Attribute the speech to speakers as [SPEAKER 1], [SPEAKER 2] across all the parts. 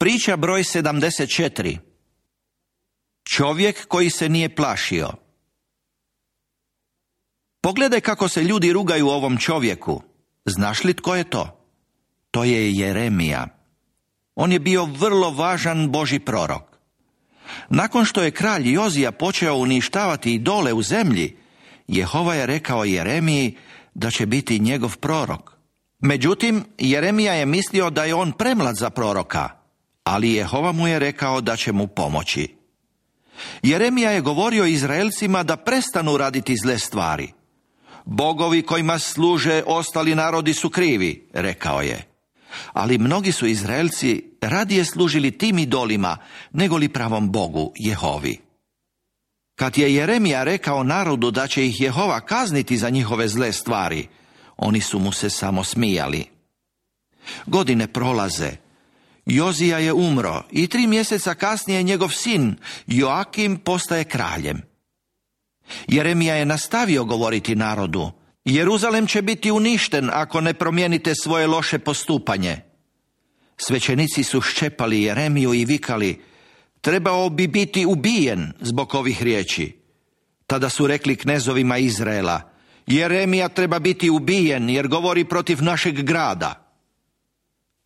[SPEAKER 1] Priča broj 74. Čovjek koji se nije plašio. Pogledaj kako se ljudi rugaju ovom čovjeku. Znaš li tko je to? To je Jeremija. On je bio vrlo važan Božji prorok. Nakon što je kralj Jozija počeo uništavati idole u zemlji, Jehova je rekao Jeremiji da će biti njegov prorok. Međutim, Jeremija je mislio da je on premlad za proroka, ali Jehova mu je rekao da će mu pomoći. Jeremija je govorio Izraelcima da prestanu raditi zle stvari. Bogovi kojima služe ostali narodi su krivi, rekao je. Ali mnogi su Izraelci radije služili tim idolima nego li pravom Bogu, Jehovi. Kad je Jeremija rekao narodu da će ih Jehova kazniti za njihove zle stvari, oni su mu se samo smijali. Godine prolaze. Jozija je umro i 3 mjeseca kasnije njegov sin Joakim postaje kraljem. Jeremija je nastavio govoriti narodu: Jeruzalem će biti uništen ako ne promijenite svoje loše postupanje. Svećenici su ščepali Jeremiju i vikali: trebao bi biti ubijen zbog ovih riječi. Tada su rekli knezovima Izraela: Jeremija treba biti ubijen jer govori protiv našeg grada.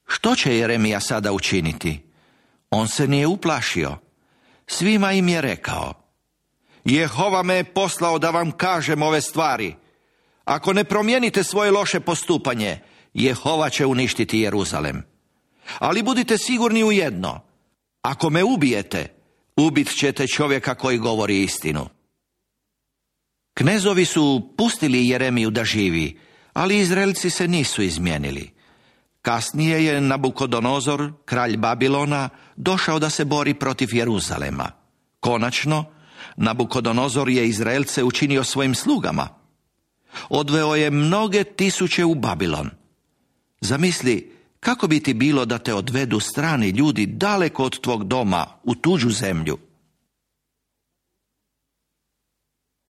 [SPEAKER 1] Što će Jeremija sada učiniti? On se nije uplašio. Svima im je rekao: Jehova me je poslao da vam kažem ove stvari. Ako ne promijenite svoje loše postupanje, Jehova će uništiti Jeruzalem. Ali budite sigurni u jedno: ako me ubijete, ubit ćete čovjeka koji govori istinu. Knezovi su pustili Jeremiju da živi, ali Izraelci se nisu izmijenili. Kasnije je Nabukodonozor, kralj Babilona, došao da se bori protiv Jeruzalema. Konačno, Nabukodonozor je Izraelce učinio svojim slugama. Odveo je mnoge tisuće u Babilon. Zamisli, kako bi ti bilo da te odvedu strani ljudi daleko od tvog doma u tuđu zemlju.